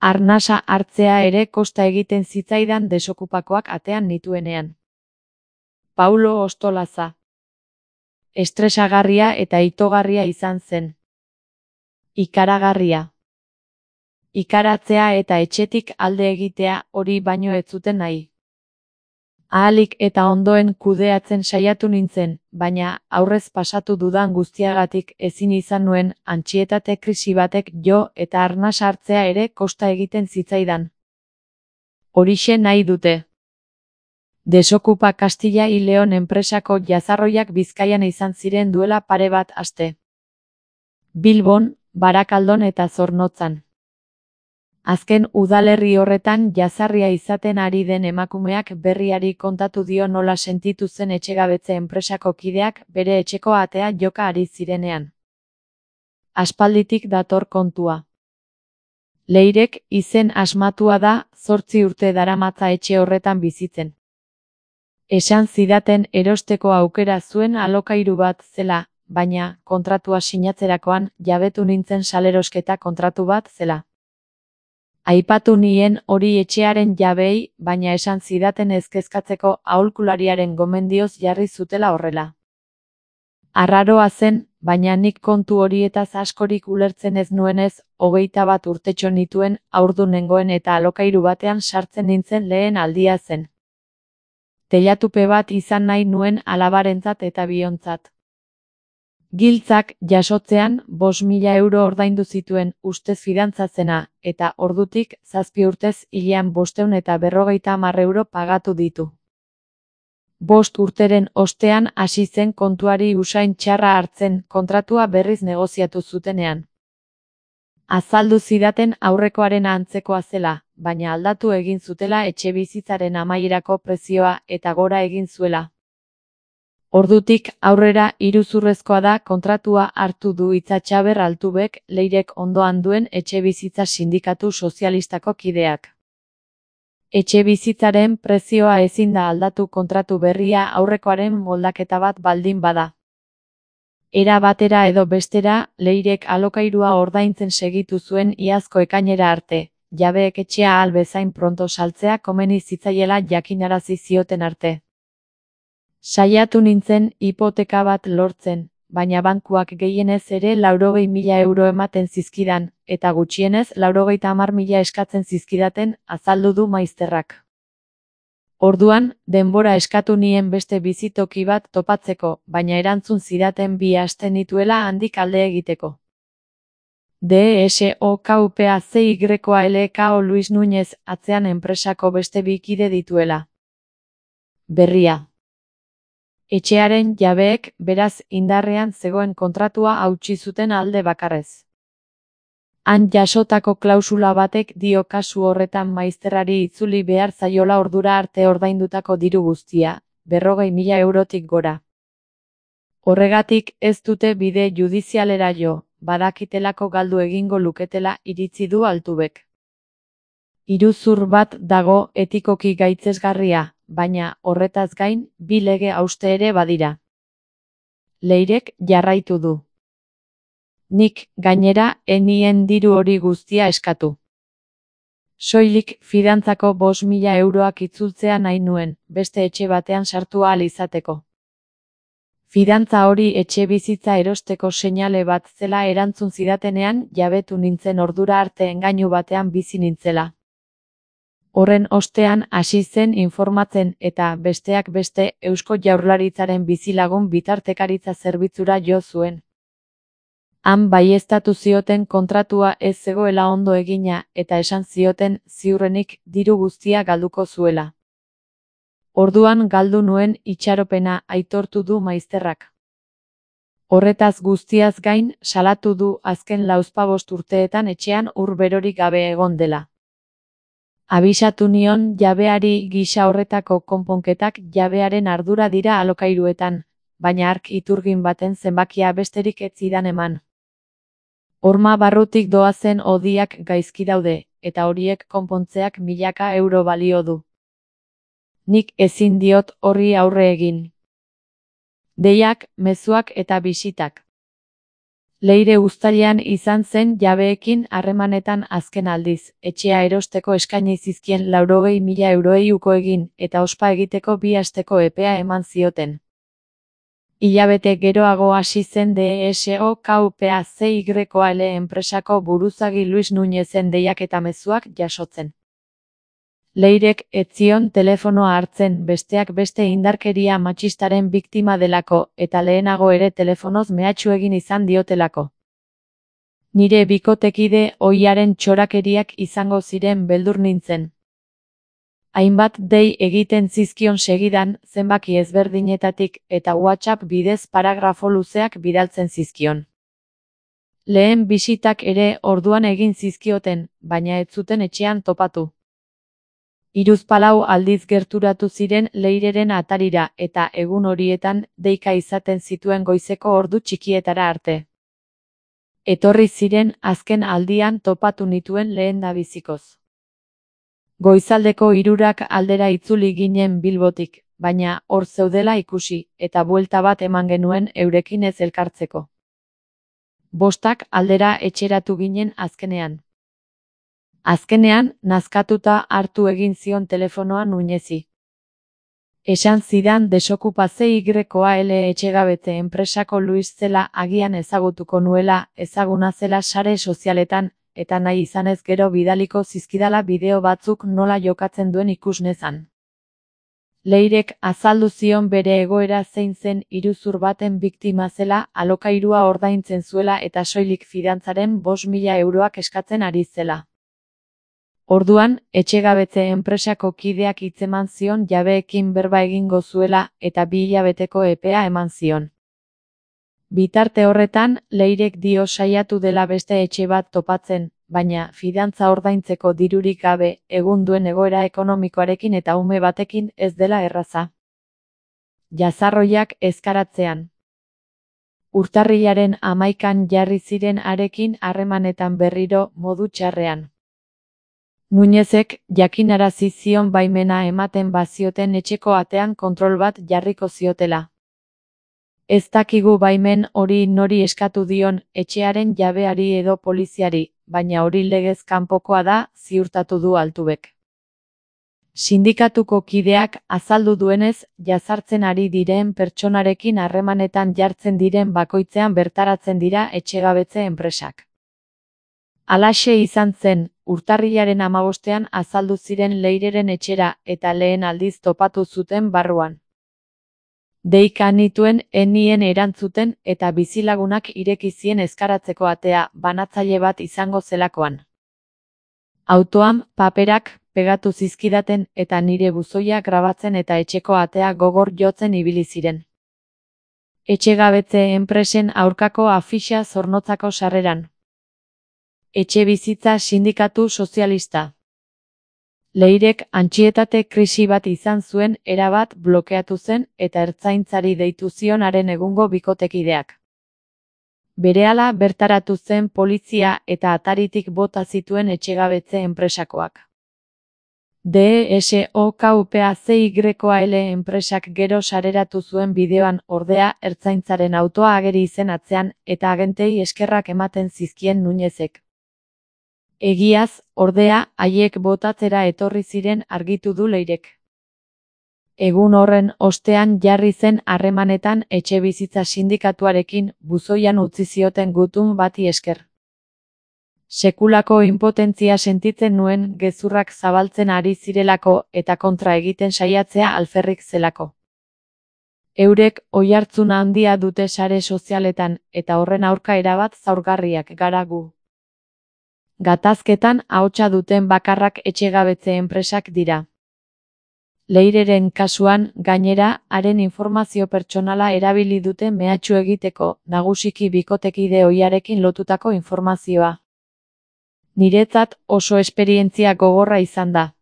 Arnasa hartzea ere kosta egiten zitzaidan desokupakoak atean nituenean. Paulo Ostolaza. Estresagarria eta itogarria izan zen. Ikaragarria. Ikaratzea eta etxetik alde egitea hori baino ez zuten nahi. Ahalik eta ondoen kudeatzen saiatu nintzen, baina aurrez pasatu dudan guztiagatik ezin izan nuen antsietate krisi batek jo eta arnas hartzea ere kosta egiten zitzaidan. Horixe nahi dute. Desokupa Castilla y León enpresako jazarroiak Bizkaian izan ziren duela pare bat aste. Bilbon, Barakaldon eta Zornotzan. Azken udalerri horretan jazarria izaten ari den emakumeak berriari kontatu dio nola sentitu zen etxegabetze enpresako kideak bere etxeko atea joka ari zirenean. Aspalditik dator kontua. Leirek izen asmatua da, 8 urte daramatza etxe horretan bizitzen. Esan zidaten erosteko aukera zuen alokairu bat zela, baina kontratua sinatzerakoan jabetu nintzen salerosketa kontratu bat zela. Aipatu nien hori etxearen jabeei, baina esan zidaten ez kezkatzeko aholkulariaren gomendioz jarri zutela horrela. Arraroa zen, baina nik kontu horietaz askorik ulertzen ez nuenez, 21 urtetxo nituen, haurdun nengoen eta alokairu batean sartzen nintzen lehen aldia zen. Teilatupe bat izan nahi nuen alabarentzat eta biontzat. Giltzak jasotzean 5.000 euro ordaindu zituen ustez fidantzazena, eta ordutik 7 urtez hilean 550 euro pagatu ditu. 5 urteren ostean hasi zen kontuari usain txarra hartzen kontratua berriz negoziatu zutenean. Azaldu zidaten aurrekoaren antzekoa zela, baina aldatu egin zutela etxebizitzaren amaierako prezioa eta gora egin zuela. Ordutik aurrera iruzurrezkoa da kontratua hartu du Itzatxaber Altubek, Leirek ondoan duen etxebizitza sindikatu sozialistako kideak. Etxebizitzaren prezioa ezin da aldatu kontratu berria aurrekoaren moldaketa bat baldin bada. Era batera edo bestera, Leirek alokairua ordaintzen segitu zuen iazko ekainera arte, jabeek etxea ahal bezain pronto saltzea komeni zitzaiela jakinarazi zioten arte. Saiatu nintzen hipoteka bat lortzen, baina bankuak gehienez ere 80.000 euro ematen zizkidan, eta gutxienez 90.000 eskatzen zizkidaten, azaldu du maizterrak. Orduan, denbora eskatu nien beste bizitoki bat topatzeko, baina erantzun zidaten 2 aste nituela handik alde egiteko. DSOKUPACYLKO Luis Núñez atzean enpresako beste 2 kide dituela. Berria. Etxearen jabeek, beraz, indarrean zegoen kontratua hautsi zuten alde bakarrez. Han jasotako klausula batek dio kasu horretan maizterrari itzuli behar zaiola ordura arte ordaindutako diru guztia, 40.000 eurotik gora. Horregatik ez dute bide judizialera jo, badakitelako galdu egingo luketela iritzi du Altubek. Iruzur bat dago etikoki gaitzesgarria, baina horretaz gain 2 lege hauste ere badira. Leirek jarraitu du. Nik, gainera, enien diru hori guztia eskatu. Soilik fidantzako 5.000 euroak itzultzea nahi nuen, beste etxe batean sartu ahal izateko. Fidantza hori etxe bizitza erosteko seinale bat zela erantzun zidatenean jabetu nintzen ordura arte engainu batean bizi nintzela. Horren ostean hasi zen informatzen eta besteak beste Eusko Jaurlaritzaren bizilagun bitartekaritza zerbitzura jo zuen. Han baieztatu zioten kontratua ez zegoela ondo egina eta esan zioten ziurrenik diru guztia galduko zuela. Orduan galdu nuen itxaropena aitortu du maizterrak. Horretaz guztiaz gain salatu du azken 45 urteetan etxean ur berorik gabe egon dela. Abisatu nion jabeari gisa horretako konponketak jabearen ardura dira alokairuetan, baina hark iturgin baten zenbakia besterik ez zidan eman. Horma barrutik doazen hodiak gaizki daude, eta horiek konpontzeak milaka euro balio du. Nik ezin diot horri aurre egin. Deiak, mezuak eta bisitak. Leire uztailean izan zen jabeekin harremanetan azken aldiz, etxea erosteko eskaini zizkien 80.000 euroei uko egin, eta ospa egiteko 2 asteko epea eman zioten. Hilabete geroago hasi zen DSOKUPACYL enpresako buruzagi Luis Nuñezen deiak eta mezuak jasotzen. Leirek ez zion telefonoa hartzen, besteak beste indarkeria matxistaren biktima delako, eta lehenago ere telefonoz mehatxu egin izan diotelako. Nire bikotekide ohiaren txorakeriak izango ziren beldur nintzen. Hainbat dei egiten zizkion segidan, zenbaki ezberdinetatik, eta WhatsApp bidez paragrafo luzeak bidaltzen zizkion. Lehen bisitak ere orduan egin zizkioten, baina ez zuten etxean topatu. 34 aldiz gerturatu ziren Leireren atarira, eta egun horietan deika izaten zituen goizeko ordu txikietara arte. Etorri ziren azken aldian topatu nituen lehendabizikoz. Goizaldeko 3 aldera itzuli ginen Bilbotik, baina hor zeudela ikusi, eta buelta bat eman genuen eurekin ez elkartzeko. 5 aldera etxeratu ginen azkenean. Azkenean, nazkatuta hartu egin zion telefonoa Nuñezi. Esan zidan DSOKUPACYL etxegabetze enpresako Luis zela, agian ezagutuko nuela, ezaguna zela sare sozialetan, eta nahi izanez gero bidaliko zizkidala bideo batzuk nola jokatzen duen ikus nezan. Leirek azaldu zion bere egoera zein zen, iruzur baten biktima zela, alokairua ordaintzen zuela eta soilik fidantzaren 5.000 euroak eskatzen ari zela. Orduan, etxegabetze enpresako kideak hitzeman zion jabeekin berba egingo zuela, eta 2 hilabeteko epea eman zion. Bitarte horretan, Leirek dio saiatu dela beste etxe bat topatzen, baina fidantza ordaintzeko dirurik gabe, egun duen egoera ekonomikoarekin eta ume batekin ez dela erraza. Jazarroiak ezkaratzean. Urtarrilaren 11an jarri ziren harekin harremanetan berriro, modu txarrean. Nuñezek jakinarazi zion baimena ematen bazioten etxeko atean kontrol bat jarriko ziotela. Ez dakigu baimen hori nori eskatu dion, etxearen jabeari edo poliziari, baina hori legez kanpokoa da, ziurtatu du Altubek. Sindikatuko kideak azaldu duenez, jazartzen ari diren pertsonarekin harremanetan jartzen diren bakoitzean bertaratzen dira etxegabetze enpresak. Halaxe izan zen, urtarrilaren 15ean azaldu ziren Leireren etxera, eta lehen aldiz topatu zuten barruan. Deika nituen enien erantzuten, eta bizilagunak ireki zien ezkaratzeko atea, banatzaile bat izango zelakoan. Autoan, paperak pegatu zizkidaten, eta nire buzoia grabatzen eta etxeko atea gogor jotzen ibili ziren. Etxegabetze enpresen aurkako afixa Zornotzako sarreran. Etxebizitza sindikatu sozialista. Leirek antsietate krisi bat izan zuen, erabat blokeatu zen, eta ertzaintzari deitu zion haren egungo bikotekideak. Berehala bertaratu zen polizia eta ataritik bota zituen etxegabetze enpresakoak. DSOKUPACYL enpresak gero sareratu zuen bideoan, ordea, ertzaintzaren autoa ageri izen atzean, eta agentei eskerrak ematen zizkien Nuñezek. Egiaz, ordea, haiek botatzera etorri ziren argitu du Leirek. Egun horren ostean jarri zen harremanetan etxebizitza sindikatuarekin, buzoian utzi zioten gutun bati esker. Sekulako inpotentzia sentitzen nuen, gezurrak zabaltzen ari zirelako, eta kontra egiten saiatzea alferrik zelako. Eurek oihartzun handia dute sare sozialetan, eta horren aurka erabat zaurgarriak gara gu. Gatazketan ahotsa duten bakarrak etxegabetze enpresak dira. Leireren kasuan, gainera, haren informazio pertsonala erabili dute mehatxu egiteko, nagusiki bikotekide ohiarekin lotutako informazioa. Niretzat oso esperientzia gogorra izan da.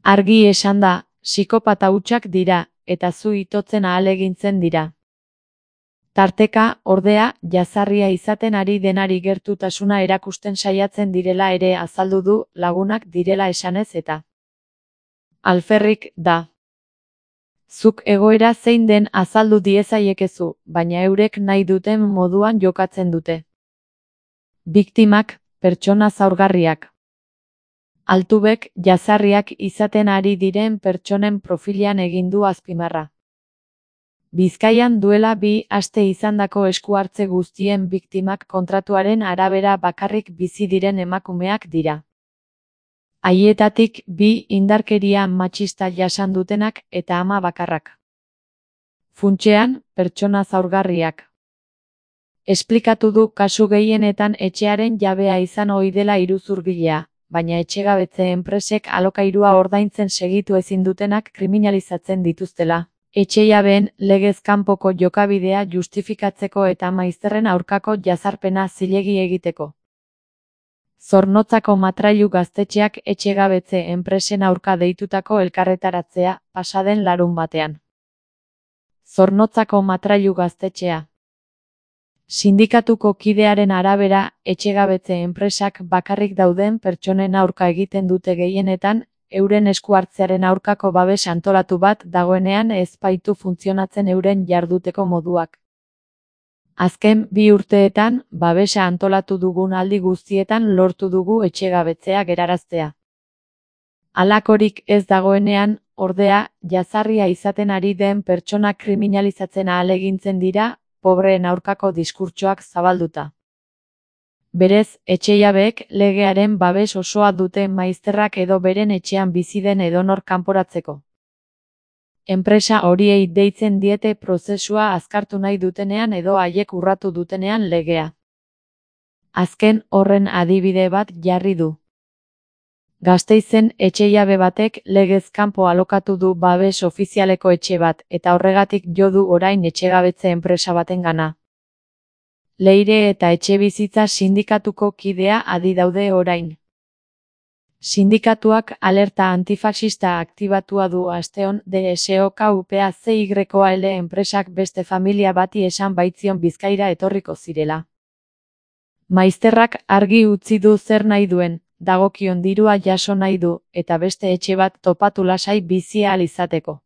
Argi esan da, psikopata hutsak dira, eta zu itotzen ahalegintzen dira. Tarteka, ordea, jazarria izaten ari denari gertutasuna erakusten saiatzen direla ere azaldu du, lagunak direla esanez eta. Alferrik da. Zuk egoera zein den azaldu diezaiekezu, baina eurek nahi duten moduan jokatzen dute. Biktimak, pertsona zaurgarriak. Altubek, jazarriak izaten ari diren pertsonen profilean egin du azpimarra. Bizkaian duela 2 aste izandako esku-hartze guztien biktimak kontratuaren arabera bakarrik bizi diren emakumeak dira. Haietatik 2 indarkeria matxista jasan dutenak eta ama bakarrak. Funtsean, pertsona zaurgarriak. Esplikatu du kasu gehienetan etxearen jabea izan ohi dela iruzurgilea, baina etxegabetze enpresek alokairua ordaintzen segitu ezin dutenak kriminalizatzen dituztela. Etxejabeen legez kanpoko jokabidea justifikatzeko eta maizterren aurkako jazarpena zilegi egiteko. Zornotzako Matrailu gaztetxeak etxegabetze enpresen aurka deitutako elkarretaratzea pasaden larunbatean. Zornotzako Matrailu gaztetxea. Sindikatuko kidearen arabera, etxegabetze enpresak bakarrik dauden pertsonen aurka egiten dute gehienetan, euren esku hartzearen aurkako babes antolatu bat dagoenean ez baitu funtzionatzen euren jarduteko moduak. Azken 2 urteetan, babesa antolatu dugun aldi guztietan lortu dugu etxegabetzea geraraztea. Halakorik ez dagoenean, ordea, jazarria izaten ari den pertsona kriminalizatzen ahalegintzen dira, pobreen aurkako diskurtsoak zabalduta. Berez, etxejabeek legearen babes osoa dute maizterrak edo beren etxean bizi den edonor kanporatzeko. Enpresa horiei deitzen diete prozesua azkartu nahi dutenean edo haiek urratu dutenean legea. Azken horren adibide bat jarri du. Gasteizen etxejabe batek legez kanpo alokatu du babes ofizialeko etxe bat eta horregatik jo du orain etxegabetze enpresa batengana. Leire eta Etxebizitza sindikatuko kidea adi daude orain. Sindikatuak alerta antifaxista aktibatua du asteon DSOKUPACYL enpresak beste familia bati esan baitzion Bizkaira etorriko zirela. Maizterrak argi utzi du zer nahi duen, dagokion dirua jaso nahi du, eta beste etxe bat topatu lasai bizi ahal izateko.